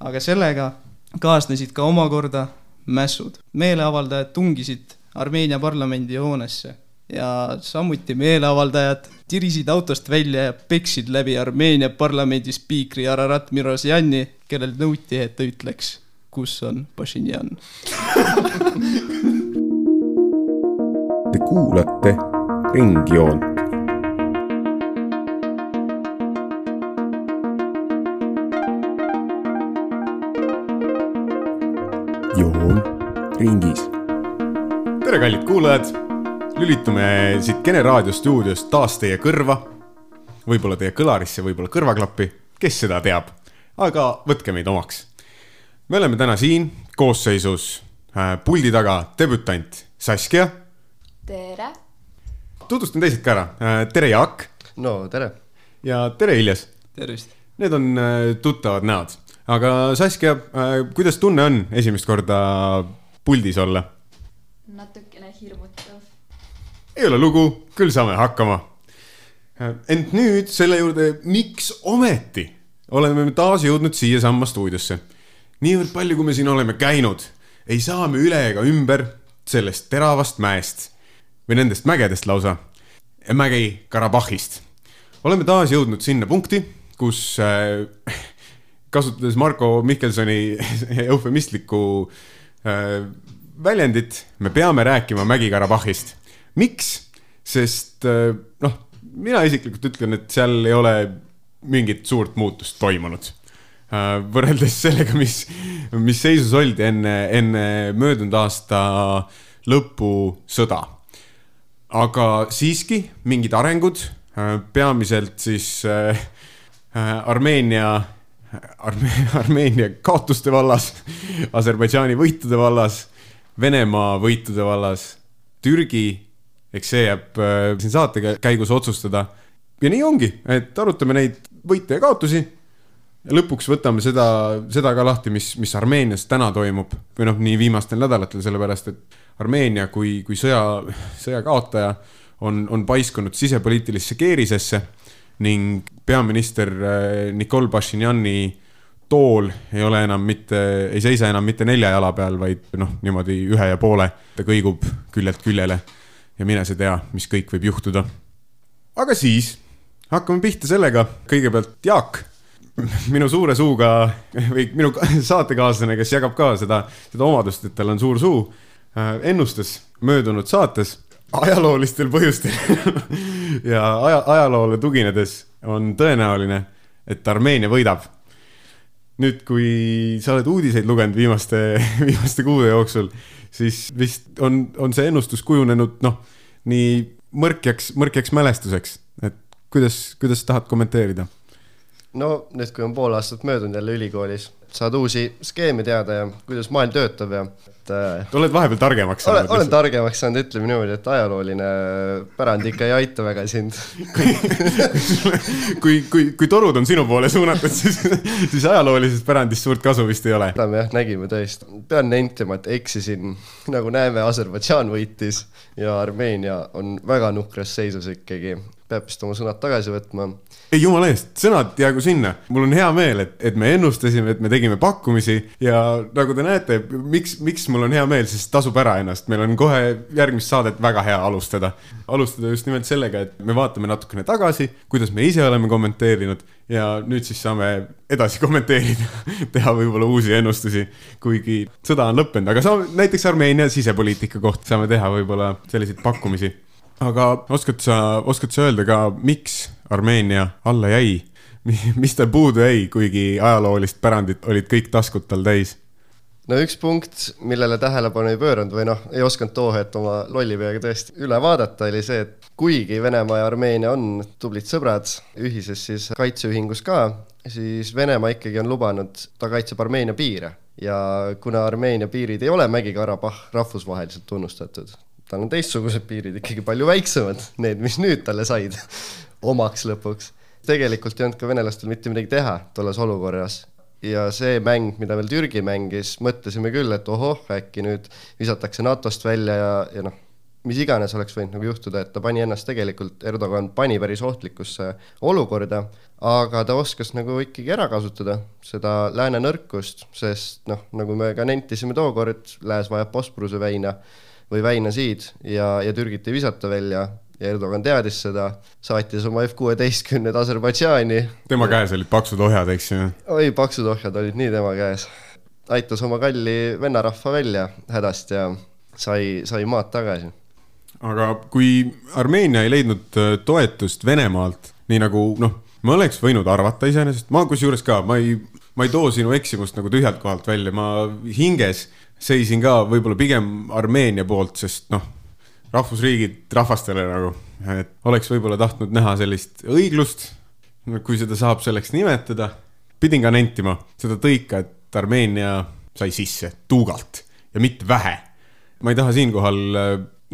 aga sellega kaasnesid ka omakorda mässud. Meeleavaldajad tungisid Armeenia parlamendi hoonesse ja samuti meeleavaldajad tirisid autost välja ja peksid läbi Armeenia parlamendi spiikri Ararat Mirosjani, kellel nõuti, et ta ütleks, kus on Pashinjan. Te kuulate Ringjoont. Joon ringis. Tere kallid kuulajad! Lülitume siit Kene Raadio stuudiost taas teie kõrva. Võib-olla teie kõlarisse, võib-olla kõrvaklappi. Kes seda teab? Aga võtke meid omaks. Me oleme täna siin koosseisus puldi taga debütant Saskia. Tere! Tutvustan teised ka ära. Tere Jaak. No, tere. Ja tere Iljas. Tervist! Need on tuttavad näod. Aga Saskia, kuidas tunne on esimest korda puldis olla? Natukene hirmutav. Ei ole lugu, küll saame hakkama. Ent nüüd selle juurde, miks ometi oleme me taas jõudnud siia samma stuudiosse. Niivõrd palju, kui me siin oleme käinud, ei saa me üle ega ümber sellest teravast mäest või nendest mägedest lausa, mägi Karabahhist. Oleme taas jõudnud sinna punkti, kus kasutades Marko Mihkelsoni eufemistlikku väljendit, me peame rääkima mägi Karabahhist. Miks? Sest mina isiklikult ütlen, et seal ei ole mingit suurt muutust toimunud. Võrreldes sellega, mis seisus oldi enne möödunud aasta lõpu sõda. Aga siiski mingid arengud, peamiselt siis Armeenia kaotuste vallas, Aserbaidžaani võitude vallas, Venemaa võitude vallas, Türgi, eks see jääb siin saate käigus otsustada. Ja nii ongi, et arutame neid võite ja kaotusi ja lõpuks võtame seda ka lahti, mis Armeenias täna toimub või nii viimastel nädalatel, sellepärast, et Armeenia kui sõja kaotaja on paiskunud sisepoliitilisse keerisesse ning peaminister Nikol Pashinjani tool ei seisa enam mitte 4 jala peal, vaid niimoodi 1,5. Ta kõigub küljelt küljele ja mine see tea, mis kõik võib juhtuda. Aga siis hakkame pihta sellega. Kõigepealt Jaak, minu suure suuga või minu saatekaaslane, kes jagab ka seda omadust, et tal on suur suu, ennustas möödunud saates ajaloolistel põhjustel ja ajaloole tuginedes on tõenäoline, et Armeenia võidab. Nüüd, kui sa oled uudiseid lugenud viimaste kuude jooksul, siis vist on see ennustus kujunenud nii mõrkjaks mälestuseks. Et kuidas tahad kommenteerida? No, nüüd kui on pool aastat möödunud jälle ülikoolis, saad uusi skeeme teada ja kuidas maailm töötab ja oled vahepeal targemaks saanud? Olen targemaks saanud, ütleme niimoodi, et ajalooline pärand ikka ei aita väga sind. Kui torud on sinu poole suunatud, siis ajaloolisest pärandist suurt kasu vist ei ole. Me nägime tõesti. Pean nentima, et eksisin. Nagu näeme, Aserbaidžaan võitis ja Armeenia on väga nukras seisus ikkagi. Peab vist oma sõnad tagasi võtma. Ei, jumala eest, sõnad jäägu sinna. Mul on hea meel, et me ennustasime, et me tegime pakkumisi ja nagu te näete, miks mul on hea meel, siis tasub ära ennast. Meil on kohe järgmist saadet väga hea alustada. Alustada just nimelt sellega, et me vaatame natukene tagasi, kuidas me ise oleme kommenteerinud ja nüüd siis saame edasi kommenteerida, teha võib-olla uusi ennustusi, kuigi sõda on lõppenud. Aga näiteks Armeenia sisepoliitika koht saame teha võib-olla selliseid pakkumisi. Aga oskad sa öelda ka, miks Armeenia alla jäi? Mis ta puudu jäi, kuigi ajaloolist pärandit olid kõik taskud tal täis? No üks punkt, millele tähelepanu ei pööranud või ei osanud toohet oma lollipeaga tõesti üle vaadata, oli see, et kuigi Venemaa ja Armeenia on tublid sõbrad ühises siis kaitseühingus ka, siis Venemaa ikkagi on lubanud, ta kaitseb Armeenia piire. Ja kuna Armeenia piirid ei ole Mägi-Karabah rahvusvaheliselt tunnustatud, tal on teistsugused piirid ikkagi palju väiksemad, need, mis nüüd talle said omaks lõpuks. Tegelikult ei olnud ka venelastel mitte midagi teha tolles olukorras. Ja see mäng, mida veel Türgi mängis, mõtlesime küll, et äkki nüüd visatakse NATOst välja ja mis iganes oleks võinud nagu juhtuda, et ta pani ennast tegelikult, Erdogan pani päris ohtlikusse olukorda, aga ta oskas nagu ikkagi ära kasutada seda lääne nõrkust, sest noh, nagu me ka nentisime tookord, lääs vajab Bosporuse väina või väinasid ja Türgit ei visata välja ja Erdogan teadis seda, saatis oma F-16 Aserbaidžaani. Tema käes olid paksud ohjad, eks ju? Oi, paksud ohjad olid nii tema käes. Aitas oma kalli vennarahva välja hädast ja sai maad tagasi. Aga kui Armeenia ei leidnud toetust Venemaalt, nii nagu, ma oleks võinud arvata iseenesest, ma kusjuures ka, ma ei too sinu eksimust nagu tühjalt kohalt välja, ma hinges seisin ka võib-olla pigem Armeenia poolt, sest rahvusriigid rahvastele nagu, et oleks võib-olla tahtnud näha sellist õiglust, kui seda saab selleks nimetada. Pidin ka nentima seda tõika, et Armeenia sai sisse tuugalt ja mitte vähe. Ma ei taha siinkohal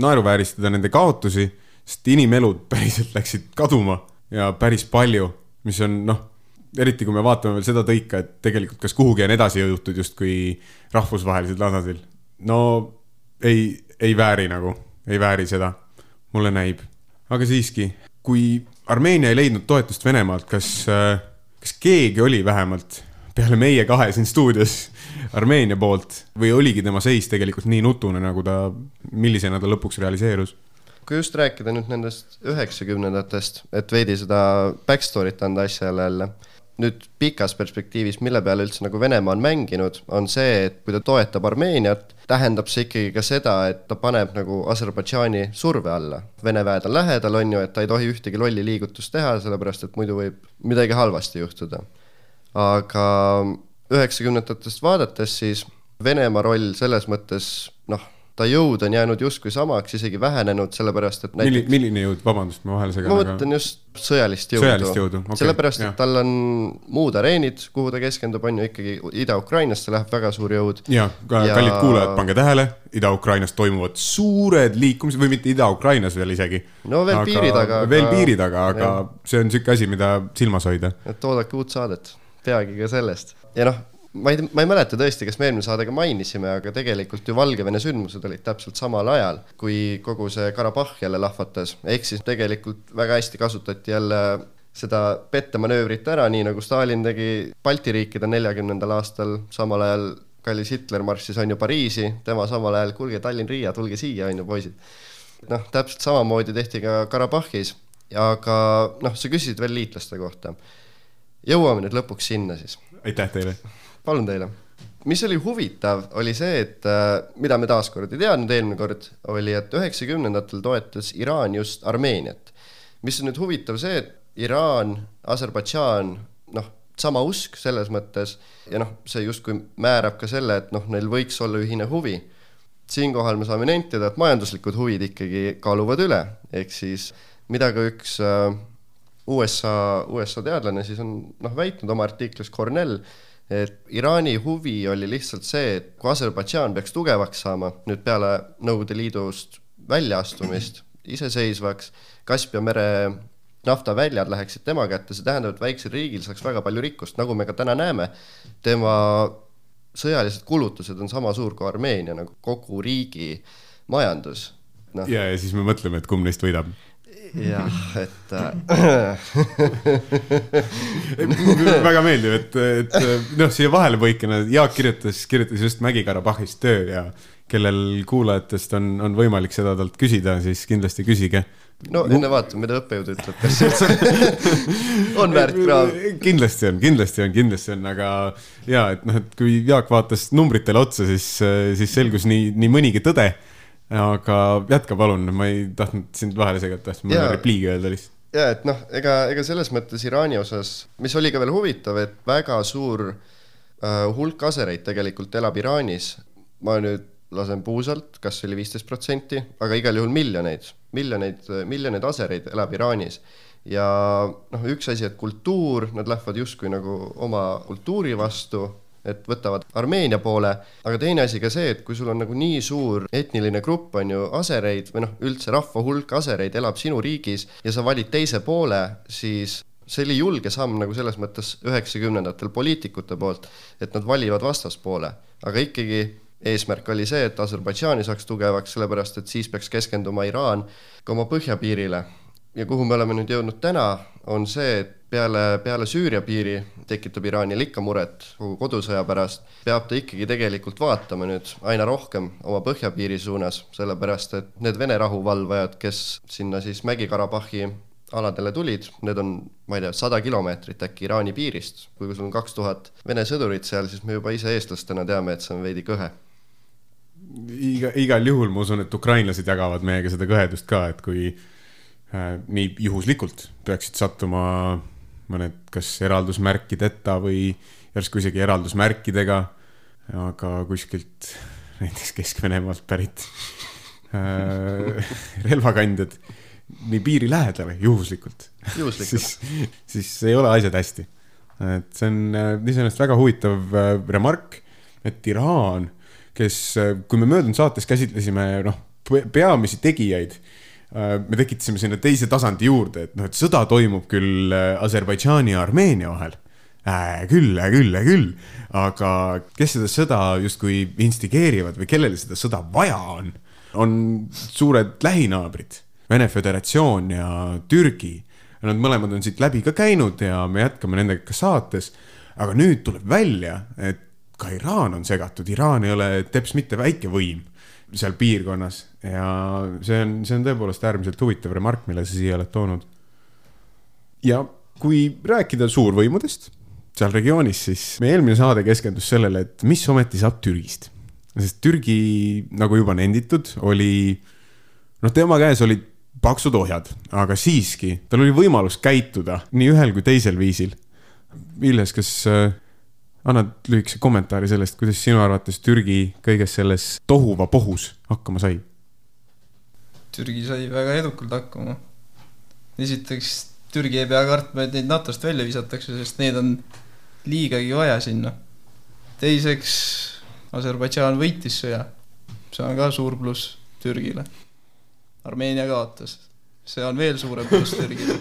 naeruvääristada nende kaotusi, sest inimelud päriselt läksid kaduma ja päris palju, mis on, eriti kui me vaatame veel seda tõika, et tegelikult kas kuhugi on edasi jõutud just kui rahvusvahelised tasandil. No ei vääri seda, mulle näib. Aga siiski, kui Armeenia ei leidnud toetust Venemaalt, kas keegi oli vähemalt peale meie kahe siin stuudios Armeenia poolt või oligi tema seis tegelikult nii nutune, nagu millisena ta lõpuks realiseerus? Kui just rääkida nüüd nendest 90-ndatest, et veidi seda backstory't anda asjale jälle, nüüd pikas perspektiivis, mille peale üldse nagu Venemaa on mänginud, on see, et kui ta toetab Armeeniat, tähendab see ikkagi ka seda, et ta paneb nagu Aserbaidžaani surve alla. Vene väed on lähedal, on ju, et ta ei tohi ühtegi lolli liigutust teha, sellepärast et muidu võib midagi halvasti juhtuda. Aga 90-ndatest vaadates siis Venemaa roll selles mõttes, ta jõud on jäänud justkui samaks, isegi vähenenud, sellepärast, et näiteks... Milline jõud? Vabandust, ma vahel segan. Ma mõtlen just sõjalist jõudu. Okay, sellepärast, et tal on muud areenid, kuhu ta keskendub, on ju ikkagi Ida-Ukrainast, see läheb väga suur jõud. Ja kallid kuulajad, pange tähele, Ida-Ukrainas toimuvad suured liikumised, või mitte Ida-Ukrainas veel isegi. No veel piiri taga, aga see on selline asi, mida silmas hoida. Et oodake uut saadet, peagi ka sellest. Ja ma ei mäleta tõesti, kas me eelmine saadega mainisime, aga tegelikult ju Valgevene sündmused olid täpselt samal ajal, kui kogu see Karabah jälle lahvatas. Ehk siis tegelikult väga hästi kasutati jälle seda pettemanöövrit ära, nii nagu Stalin tegi Balti riikide 40. aastal, samal ajal kallis Hitler marssis on ju Pariisi, tema samal ajal, kuulge Tallinn-Riia, tulge siia, on ju poisid. Täpselt samamoodi tehti ka Karabahis, aga sa küsisid veel liitlaste kohta. Jõuame nüüd lõpuks sinna siis. Aitäh teile. Palun teile. Mis oli huvitav, oli see, et mida me taaskord ei teadnud eelmine kord, oli, et 90-ndatel toetas Iraan just Armeeniat. Mis on nüüd huvitav see, et Iraan, Aserbaidžaan, sama usk selles mõttes ja see justkui määrab ka selle, et neil võiks olla ühine huvi. Siinkohal me saame nentida, et majanduslikud huvid ikkagi kaaluvad üle, ehk siis mida ka üks USA teadlane siis on väitnud oma artiklis Cornell, et Iraani huvi oli lihtsalt see, et kui Aserbaidžaan peaks tugevaks saama, nüüd peale Nõukogude Liidust väljaastumist, iseseisvaks, Kaspia mere naftaväljad läheksid tema kätte, see tähendab, et väiksel riigil saaks väga palju rikkust, nagu me ka täna näeme. Tema sõjalised kulutused on sama suur kui Armeenia, nagu kogu riigi majandus. Ja siis me mõtleme, et kumb neist võidab. Jah, et väga meeldib, et siia vahele põikena Jaak kirjutas just Mägi-Karabahhist töö ja kellel kuulajatest on võimalik seda talt küsida, siis kindlasti küsige. Enne vaatame, mida õppejõud ütleb, kas on väärt kraam. Kindlasti on, aga et kui Jaak vaatas numbritele otsa, siis selgus nii mõnigi tõde. Aga jätka palun, ma ei tahtnud sind vahele segata, ma olen repliigi öelda lihtsalt. Ja, et ega selles mõttes Iraani osas, mis oli ka veel huvitav, et väga suur hulk asereid tegelikult elab Iraanis. Ma nüüd lasen puusalt, kas oli 15%, aga igal juhul miljoneid asereid elab Iraanis. Ja üks asi, et kultuur, nad lähevad justkui nagu oma kultuuri vastu, et võtavad Armeenia poole, aga teine asi ka see, et kui sul on nagu nii suur etniline grupp on ju asereid või üldse rahva hulk asereid elab sinu riigis ja sa valid teise poole, siis see oli julge samm nagu selles mõttes 90-ndatel poliitikute poolt, et nad valivad vastaspoole, aga ikkagi eesmärk oli see, et Aserbaidžaani saaks tugevaks, sellepärast et siis peaks keskenduma Iraan ka oma põhjapiirile. Ja kuhu me oleme nüüd jõudnud täna, on see, et peale Süüria piiri tekitab Iraanil ikka muret kogu kodusõja pärast, peab ta ikkagi tegelikult vaatama nüüd aina rohkem oma põhjapiiri suunas, sellepärast et need Vene rahuvalvajad, kes sinna siis Mägi-Karabahhi aladele tulid, need on, ma ei tea, 100 kilomeetrit äkki Iraani piirist. Kui sul on 2000 Vene sõdurit seal, siis me juba ise eestlastena teame, et see on veidi kõhe. Igal juhul ma usun, et ukrainlased jagavad meiega seda kõhedust ka, et kui nii juhuslikult peaksid sattuma mõned kas eraldusmärkideta või järsku isegi eraldusmärkidega, aga kuskilt näiteks Kesk-Venemaalt pärit relvakandjad nii piiri lähedale juhuslikult. Siis ei ole asjad hästi. Et see on iseenesest väga huvitav remark, et Iraan, kes, kui me möödunud saates käsitlesime peamisi tegijaid, me tekitasime sinna teise tasandi juurde, et sõda toimub küll Aserbaidžaani ja Armeenia vahel. Küll. Aga kes seda sõda justkui instigeerivad või kellele seda sõda vaja on suured lähinaabrid, Vene Föderatsioon ja Türgi. Nad mõlemad on siit läbi ka käinud ja me jätkame nendega ka saates. Aga nüüd tuleb välja, et ka Iraan on segatud. Iraan ei ole teps mitte väike võim seal piirkonnas ja see on tõepoolest äärmiselt huvitav remark, mille sa siia oled toonud. Ja kui rääkida suurvõimudest seal regioonis, siis meie eelmine saade keskendus sellele, et mis ometi saab Türgist. Sest Türgi, nagu juba nenditud, oli, tema käes olid paksud ohjad, aga siiski tal oli võimalus käituda nii ühel kui teisel viisil. Illes, kas annad lühikese kommentaari sellest, kuidas sinu arvates Türgi kõiges selles tohuva pohus hakkama sai? Türgi sai väga edukalt hakkama. Esiteks, Türgi ei pea kartma, et neid NATOst välja visatakse, sest neid on liigagi vaja sinna. Teiseks, Aserbaidžaan võitis sõja. See on ka suur pluss Türgile. Armeenia kaotas. See on veel suurem pluss Türgile.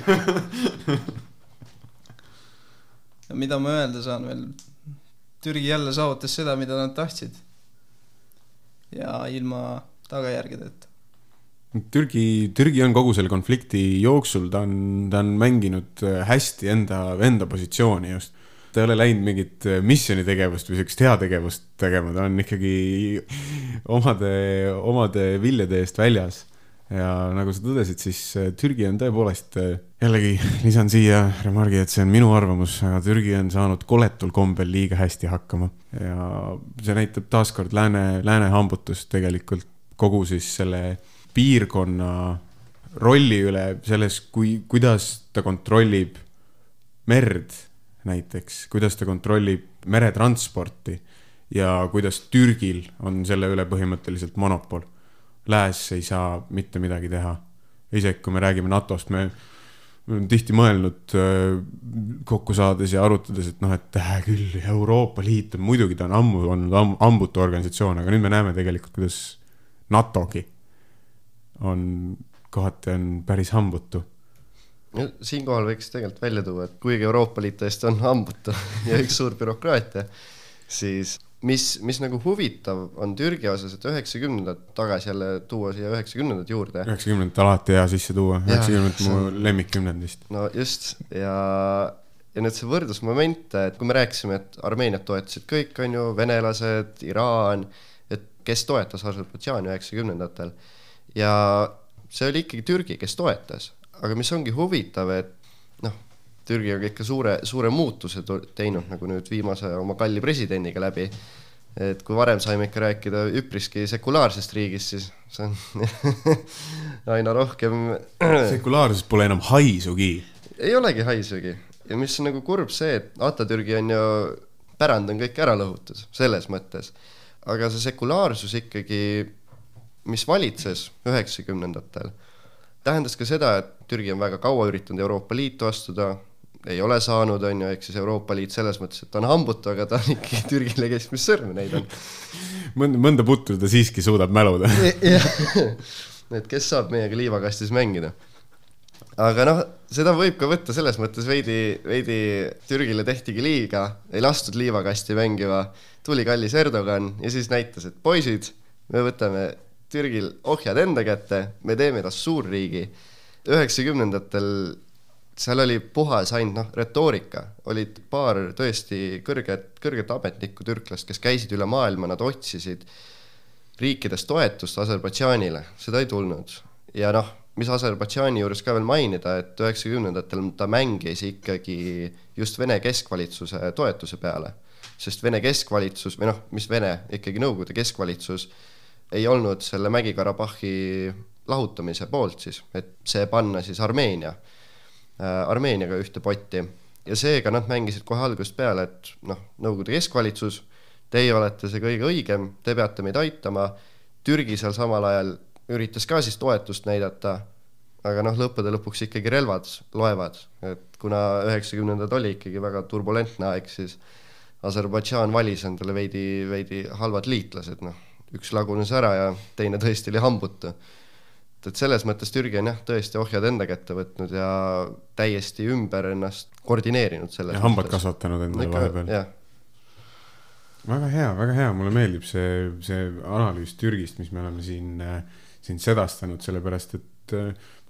Ja mida ma öelda saan veel? Türgi jälle saavutas seda, mida nad tahtsid. Ja ilma tagajärgedeta. Türgi on kogu selle konflikti jooksul, ta on mänginud hästi enda positsiooni just. Ta ei ole läinud mingit missionitegevust või sellist heategevust tegema, ta on ikkagi omade viljade eest väljas. Ja nagu sa tõdesid, siis Türgi on tõepoolest, jällegi lisan siia remargi, et see on minu arvamus, aga Türgi on saanud koletul kombel liiga hästi hakkama. Ja see näitab taaskord lääne hambutust tegelikult kogu siis selle piirkonna rolli üle selles, kuidas ta kontrollib merd näiteks, kuidas ta kontrollib meretransporti ja kuidas Türgil on selle üle põhimõtteliselt monopol. Lääs ei saa mitte midagi teha. Isegi kui me räägime NATOst, me olen tihti mõelnud kokku saades ja arutades, et küll Euroopa Liit on, muidugi ta on ammu olnud ambutu organisatsioon, aga nüüd me näeme tegelikult, kuidas NATOgi kohati on päris hambutu. Siinkohal võiks tegelikult välja tuua, et kuigi Euroopa Liit tõesti on hambutu ja üks suur bürokraatia, siis mis nagu huvitav on Türgi osas, et 90-ndad tagasi jälle tuua siia 90-ndad juurde. 90-ndad alati hea sisse tuua, 90-ndad mu lemmikkümnendist. No just, ja nüüd see võrdlusmoment, et kui me rääkisime, et Armeeniat toetasid kõik, on ju, venelased, Iraan, et kes toetas Aserbaidžaani 90-ndatel. Ja see oli ikkagi Türgi, kes toetas. Aga mis ongi huvitav, et Türgi on ikka suure muutuse teinud nagu nüüd viimase oma kalli presidendiga läbi. Et kui varem saime ikka rääkida üpriski sekulaarsest riigist, siis see on aina rohkem... Sekulaarsus pole enam haisugi. Ei olegi haisugi. Ja mis on nagu kurb see, et Atatürgi on ju pärand on kõik ära lõhutud selles mõttes. Aga see sekulaarsus ikkagi, mis valitses 90-ndatel, tähendas ka seda, et Türgi on väga kaua üritanud Euroopa Liitu astuda, ei ole saanud, on ju, ehk siis Euroopa Liit selles mõttes, et ta on hambutu, aga ta on ikkagi Türgile keskmis sõrme neid on. Mõnda putru ta siiski suudab mäluda. Et kes saab meiega liivakastis mängida. aga noh, seda võib ka võtta selles mõttes veidi Türgile tehtigi liiga, ei lastud liivakasti mängiva, tuli kallis Erdogan ja siis näitas, et poisid, me võtame Türgil ohjad enda kätte, me teeme tast suurriigi. 90-ndatel seal oli puhas ainult retoorika, olid paar tõesti kõrget ametnikku türklast, kes käisid üle maailma, nad otsisid riikides toetust Aserbaidžaanile, seda ei tulnud. Ja noh, mis Aserbaidžaani juures ka veel mainida, et 90-ndatel ta mängis ikkagi just Vene keskvalitsuse toetuse peale, sest Vene keskvalitsus, või noh, mis Vene, ikkagi Nõukogude keskvalitsus ei olnud selle Mägi-Karabahhi lahutamise poolt siis, et see panna siis Armeeniaga ühte potti. Ja seega nad mängisid kohe algusest peale, et noh, Nõukogude keskvalitsus, teie olete see kõige õigem, te peate meid aitama. Türgi seal samal ajal üritas ka siis toetust näidata, aga noh, lõppude lõpuks ikkagi relvad loevad, et kuna 90-ndad oli ikkagi väga turbulentne aeg, siis Aserbaidžaan valis endale veidi halvad liitlased, noh, üks lagunes ära ja teine tõesti oli hambutu. Et selles mõttes Türgi on tõesti ohjad enda kätte võtnud ja täiesti ümber ennast koordineerinud selles. Ja hambad kasvatanud endale vahepeal. Jah. Väga hea, mulle meeldib see analüüs Türgist, mis me oleme siin sedastanud, sellepärast, et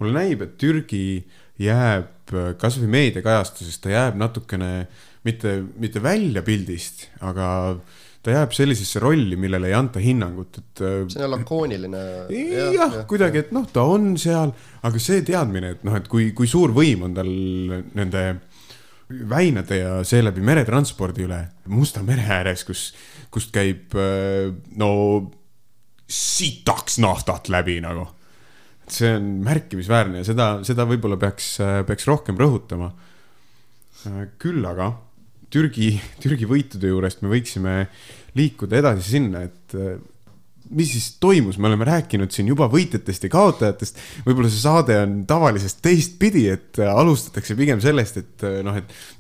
mulle näib, et Türgi jääb kas või meediakajastusest, ta jääb natukene mitte välja pildist, aga ta jääb sellisesse rolli, millele ei anta hinnangut. See on lakooniline. Jah, kuidagi, et noh, ta on seal, aga see teadmine, et noh, et kui suur võim on tal nende väinade ja seeläbi meretranspordi üle Musta mere ääres, kust käib sitaks naftat läbi nagu. See on märkimisväärne ja seda võib-olla peaks rohkem rõhutama. Küll aga Türgi võitude juurest me võiksime liikuda edasi sinna, et mis siis toimus, me oleme rääkinud siin juba võitjatest ja kaotajatest, võib-olla see saade on tavalisest teistpidi, et alustatakse pigem sellest, et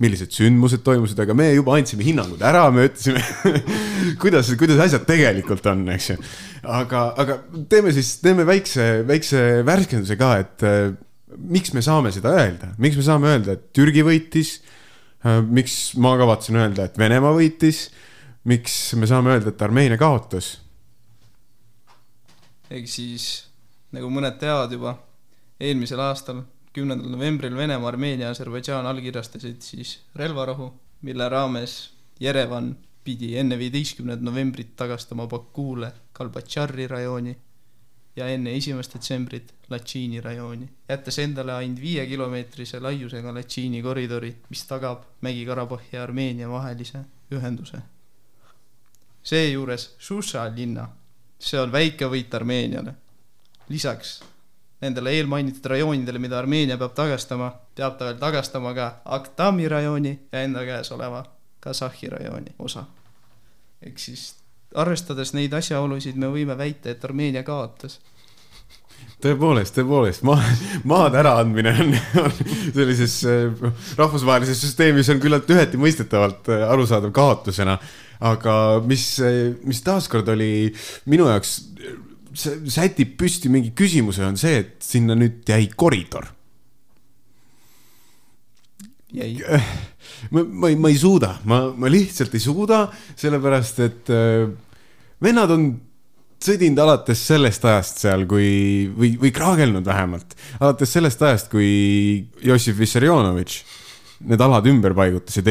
millised sündmused toimusid, aga me juba andsime hinnangud ära, me ütlesime, kuidas asjad tegelikult on, eks ju. Aga teeme väikse värskenduse ka, et miks me saame seda öelda? Miks me saame öelda, et Türgi võitis? Miks ma kavatsen öelda, et Venemaa võitis? Miks me saame öelda, et Armeenia kaotas? Ega siis, nagu mõned teavad juba, eelmisel aastal, 10. novembril Venemaa, Armeenia ja Aserbaidžaan allkirjastasid siis relvarahu, mille raames Jerevan pidi enne 15. novembrit tagastama Bakuule Kalbatšari rajooni ja enne 1. detsembrit Latšiini rajooni, jättes endale ainult 5-kilomeetrise laiusega Latšiini koridori, mis tagab Mägi-Karabahhi ja Armeenia vahelise ühenduse. Seejuures Šuša linna, see on väike võit Armeeniale. Lisaks nendele eelmainitud rajoonidele, mida Armeenia peab tagastama ta veel tagastama ka Aktami rajooni ja enda käes oleva Kasahhi rajooni osa. Ehk siis arvestades neid asjaolusid me võime väita, et Armeenia kaotas. Tõepoolest, maad äraandmine on sellises rahvusvahelises süsteemis on küllalt üheti mõistetavalt arusaadav kaotusena, aga mis taaskord oli minu jaoks sätib püsti mingi küsimuse on see, et sinna nüüd jäi koridor. Ma ei suuda, ma lihtsalt ei suuda, sellepärast, et vennad on sõdinud alates sellest ajast seal, või kraagelnud vähemalt, alates sellest ajast, kui Jossif Vissarionovitš need alad ümber paigutas ja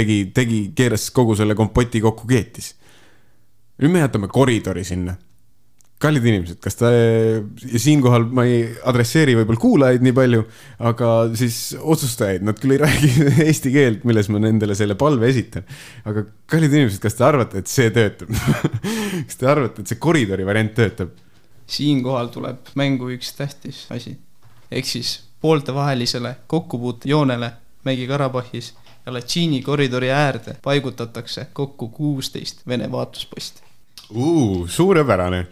keeras kogu selle kompoti kokku keetis. Nüüd me jätame koridori sinna. Kallid inimesed, ja siinkohal ma ei adresseeri võib-olla kuulajaid nii palju, aga siis otsustajaid, nad küll ei räägi eesti keelt, milles ma nendele selle palve esitan. Aga kallid inimesed, kas te arvate, et see töötab? Kas te arvate, et see koridori variant töötab? Siinkohal tuleb mängu üks tähtis asi. Ehk siis pooltevahelisele kokkupuute joonele Mägi-Karabahhis ja Latšiini koridori äärde paigutatakse kokku 16 Vene vaatlusposti. Suurepärane,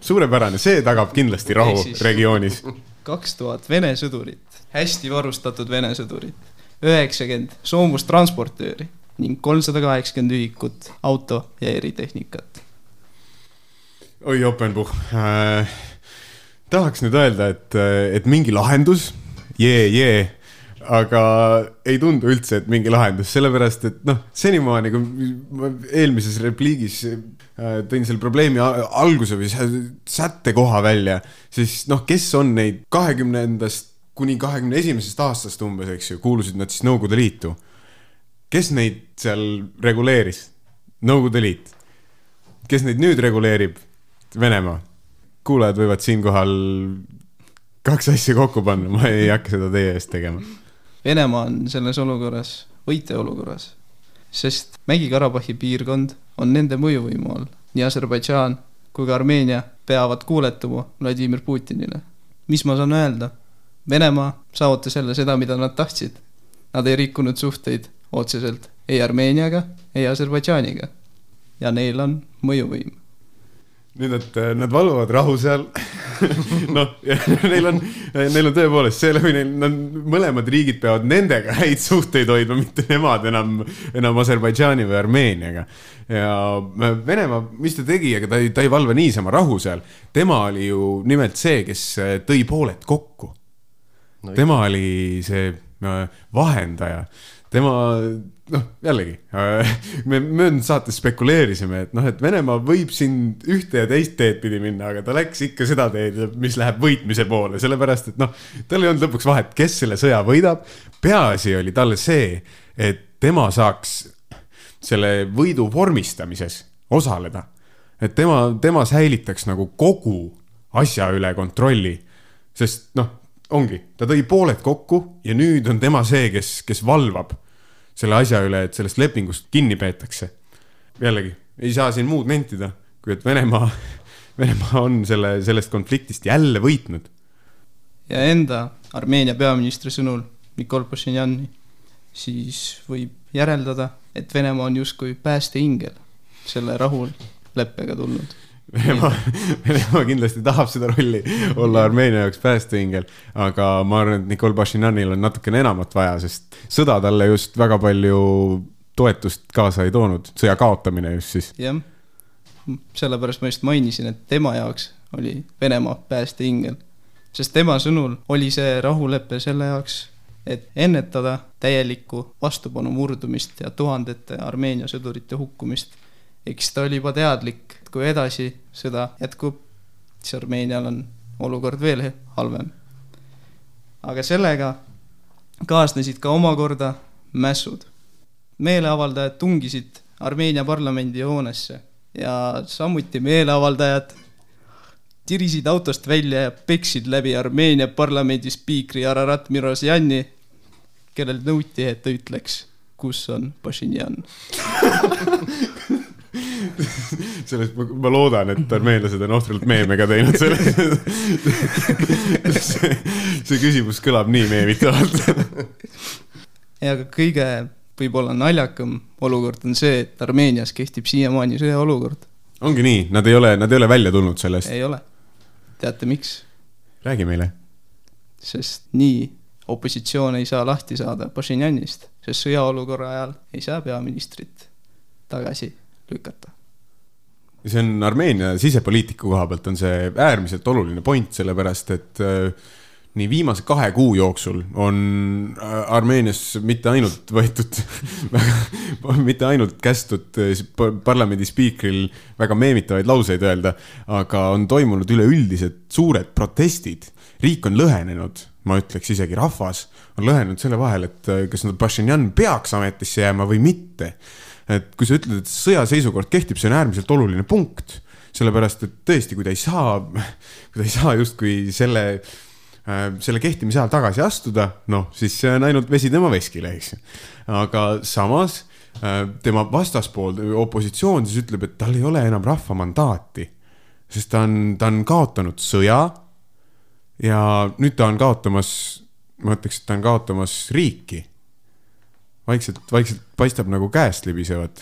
see tagab kindlasti rahu regioonis. 2000 Vene sõdurit, hästi varustatud Vene sõdurit, 90 soomustransportööri ning 380 ühikut auto ja eritehnikat. Oi, Openbuch. Tahaks nüüd öelda, et mingi lahendus, aga ei tundu üldse, et mingi lahendus, sellepärast, et noh, senimaani, kui ma eelmises repliigis tõin selle probleemi alguse või sätte koha välja, siis noh, kes on neid 20-ndast kuni 21. aastast umbes, eks ju, kuulusid nad siis Nõukogude Liitu. Kes neid seal reguleeris? Nõukogude Liit. Kes neid nüüd reguleerib? Venemaa. Kuulajad võivad siinkohal 2 asja kokku panna, ma ei hakka seda teie eest tegema. Venemaa on selles olukorras, võite olukorras, sest Mägi-Karabahhi piirkond on nende mõjuvõimu all. Nii Aserbaidžaan kui ka Armeenia peavad kuuletuma Vladimir Putinile. Mis ma saan öelda? Venemaa saavutas jälle seda, mida nad tahtsid. Nad ei rikkunud suhteid otseselt ei Armeeniaga, ei Aserbaidžaaniga. Ja neil on mõjuvõim. Nüüd, et nad valvavad rahu seal. Noh, neil on tõepoolest see läbi, mõlemad riigid peavad nendega häid suhteid hoidma, mitte nemad enam Aserbaidžaani või Armeeniaga. Ja Venemaa, mis ta tegi, aga ta ei valva niisama rahu seal. Tema oli ju nimelt see, kes tõi pooled kokku. Tema oli see vahendaja. Tema, noh, jällegi, me möödunud saates spekuleerisime, et noh, et Venemaa võib siin ühte ja teist teed pidi minna, aga ta läks ikka seda teed, mis läheb võitmise poole, sellepärast, et noh, tal ei olnud lõpuks vahet, kes selle sõja võidab. Peaasi oli talle see, et tema saaks selle võidu vormistamises osaleda. Et tema säilitaks nagu kogu asja üle kontrolli, sest noh, ongi, ta tõi pooled kokku ja nüüd on tema see, kes valvab selle asja üle, et sellest lepingust kinni peetakse. Jällegi, ei saa siin muud nentida, kui et Venemaa on sellest konfliktist jälle võitnud. Ja enda Armeenia peaministri sõnul Nikol Pašinjani siis võib järeldada, et Venemaa on justkui päästeingel selle rahul leppega tulnud. Venemaa kindlasti tahab seda rolli olla Armeenia jaoks päästeingel, aga ma arvan, et Nikol Pašinjanil on natukene enamat vaja, sest sõda talle just väga palju toetust kaasa ei toonud, sõja kaotamine just siis. Jah, sellepärast ma just mainisin, et tema jaoks oli Venemaa päästeingel, sest tema sõnul oli see rahuleppe selle jaoks, et ennetada täielikku vastupanu murdumist ja tuhandete Armeenia sõdurite hukkumist. Eks ta oli juba teadlik, et kui edasi sõda jätkub, siis Armeenial on olukord veel halvem. Aga sellega kaasnesid ka omakorda mässud. Meeleavaldajad tungisid Armeenia parlamendi hoonesse ja samuti meeleavaldajad tirisid autost välja ja peksid läbi Armeenia parlamendi spiikri Ararat Mirosjani, kellel nõuti, et ta ütleks, kus on Pašinjan. Sellest ma loodan, et armeenlased on ohtralt meemega teinud selle. See küsimus kõlab nii meemitavalt. Ja kõige võib-olla naljakam olukord on see, et Armeenias kehtib siiamaani sõjaolukord. Ongi nii, nad ei ole välja tulnud sellest. Ei ole. Teate miks? Räägi meile. Sest nii opositsioon ei saa lahti saada Pašinjanist, sest sõjaolukorra ajal ei saa peaministrit tagasi lükata. See on Armeenia sisepoliitiku koha pealt on see äärmiselt oluline point, sellepärast, et nii viimase 2 kuu jooksul on Armeenias mitte ainult võetud, mitte ainult kästud parlamendi spiikril väga meemitavaid lauseid öelda, aga on toimunud üleüldised suured protestid. Riik on lõhenenud, ma ütleks isegi rahvas, on lõhenenud selle vahel, et kas Pašinjan peaks ametisse jääma või mitte. Et kui sa ütled, et sõjaseisukord kehtib, see on äärmiselt oluline punkt, sellepärast, et tõesti, kui ta ei saa justkui selle kehtimise ajal tagasi astuda, noh, siis see on ainult vesi tema veskile, eks. Aga samas tema vastaspool, opositsioon siis ütleb, et tal ei ole enam rahva mandaati, sest ta on kaotanud sõja ja nüüd ta on kaotamas, ma ütleks, et ta on kaotamas riiki. Vaikselt paistab nagu käest libisevad.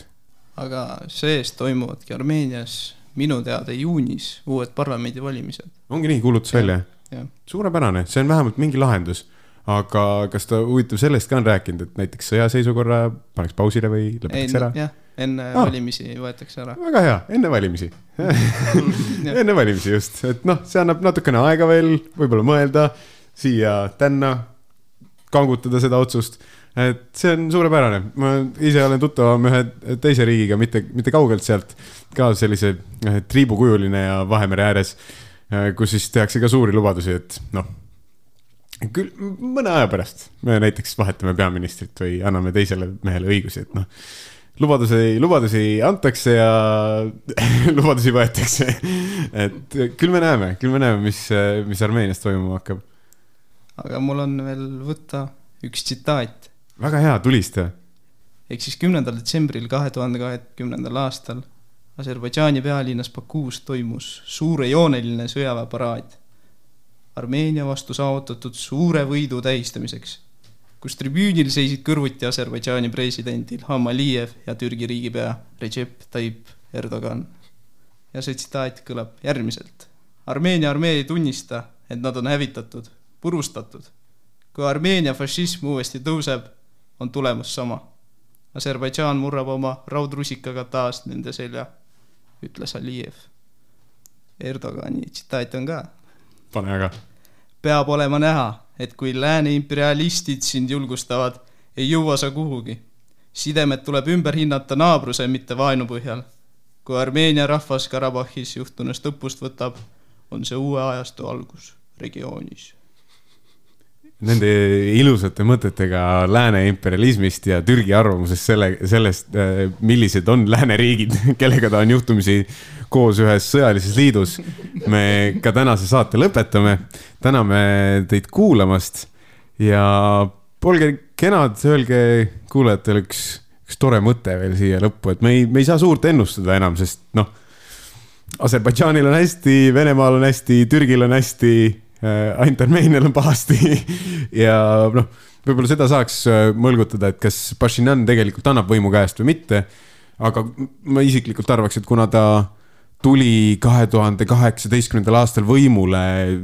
Aga sees toimuvadki Armeenias minu teada juunis uued parlamendi valimised. Ongi nii, kuulutus välja? Ja. Suurepärane, see on vähemalt mingi lahendus. Aga kas ta huvitav sellest ka on rääkinud, et näiteks sõjaseisukorra paneks pausile või lõpetaks ära? Jah, enne valimisi võetakse ära. Väga hea, enne valimisi. Enne valimisi just. Et noh, see annab natukene aega veel, võib-olla mõelda siia tänna kangutada seda otsust, et see on suurepärane. Ma ise olen tuttavam ühe teise riigiga, mitte kaugelt sealt, ka sellise triibukujuline ja Vahemere ääres, kus siis tehakse ka suuri lubadusi, et noh, küll mõne aja pärast me näiteks vahetame peaministrit või anname teisele mehele õigusi, et noh, lubadusi antakse ja lubadusi võetakse. Et küll me näeme, mis Armeenias toimuma hakkab. Aga mul on veel võtta üks tsitaat. Väga hea, tulista. Ehk siis 10. detsembril 2020. aastal Aserbaidžaani pealinnas Bakuus toimus suurejooneline sõjaväeparaad Armeenia vastu saavutatud suure võidu tähistamiseks, kus tribüünil seisid kõrvuti Aserbaidžaani presidendil Ilham Aliyev ja Türgi riigipea Recep Tayyip Erdogan. Ja see tsitaat kõlab järgmiselt. Armeenia armee ei tunnista, et nad on hävitatud, purustatud. Kui Armeenia fašism uuesti tõuseb, on tulemus sama. Aserbaidžaan murrab oma raudrusikaga taas nende selja, ütles Aliyev. Erdogani tsitaat on ka. Pane aga. Peab olema näha, et kui lääne imperialistid sind julgustavad, ei jõua sa kuhugi. Sidemed tuleb ümber hinnata naabruse, mitte vaenu põhjal. Kui Armeenia rahvas Karabahhis juhtunust õppust võtab, on see uue ajastu algus regioonis. Nende ilusate mõtetega lääne imperialismist ja Türgi arvamusest sellest, millised on lääne riigid, kellega ta on juhtumisi koos ühes sõjalises liidus. Me ka tänase saate lõpetame. Täname teid kuulamast ja olge kenad, öelge kuulajatele üks tore mõte veel siia lõppu, et me ei saa suurt ennustada enam, sest noh, Aserbaidžaanil on hästi, Venemaal on hästi, Türgil on hästi, ainult Armeenial on pahasti ja noh, võib-olla seda saaks mõlgutada, et kas Pashinyan tegelikult annab võimu käest või mitte, aga ma isiklikult arvaks, et kuna ta tuli 2018. aastal võimule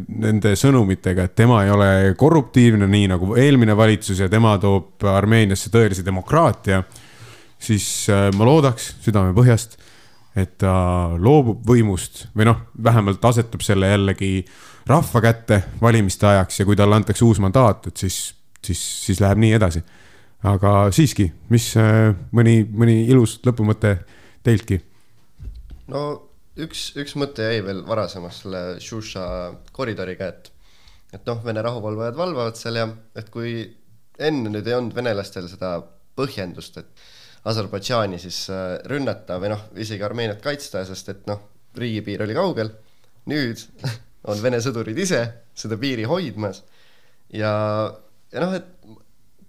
nende sõnumitega, et tema ei ole korruptiivne, nii nagu eelmine valitsus ja tema toob Armeeniasse tõelise demokraatia, siis ma loodaks südame põhjast, et ta loobub võimust või noh, vähemalt asetab selle jällegi rahva kätte valimiste ajaks ja kui talle antakse uus mandaat, et siis läheb nii edasi. Aga siiski, mis mõni ilus lõpumõte teiltki? No üks mõte jäi veel varasemast selle Shusha koridoriga, et noh, Vene rahuvalvajad valvavad seal ja et kui enne nüüd ei olnud venelastel seda põhjendust, et Aserbaidžaani siis rünnata või noh, isegi Armeeniat kaitsta, sest et noh, riigipiir oli kaugel, nüüd on Vene sõdurid ise seda piiri hoidmas ja noh, et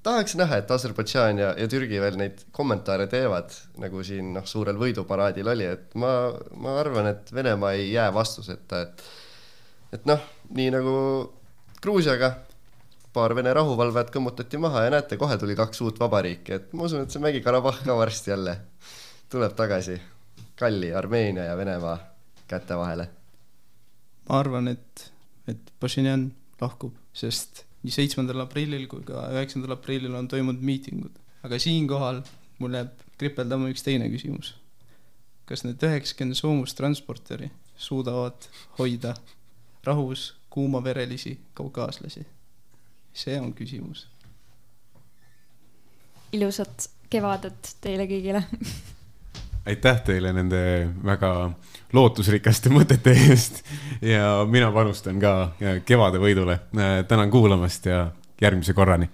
tahaks näha, et Aserbaidžaan ja Türgi veel neid kommentaare teevad, nagu siin noh, suurel võiduparaadil oli, et ma arvan, et Venemaa ei jää vastuseta, et noh, nii nagu Gruusiaga paar Vene rahuvalvajat kõmmutati maha ja näete, kohe tuli 2 uut vabariiki, et ma usun, et see Mägi-Karabahh ka varsti jälle tuleb tagasi kalli Armeenia ja Venemaa kätte vahele. Ma arvan, et Pashinyan lahkub, sest nii 7. aprillil kui ka 9. aprillil on toimunud miitingud. Aga siinkohal mul jääb kripeldama üks teine küsimus. Kas need 90 soomustransporteri suudavad hoida rahus kuumaverelisi kaukaaslasi? See on küsimus. Ilusat kevadet teile kõigile. Aitäh teile nende väga lootusrikaste mõtete eest ja mina panustan ka kevade võidule. Tänan kuulamast ja järgmise korrani.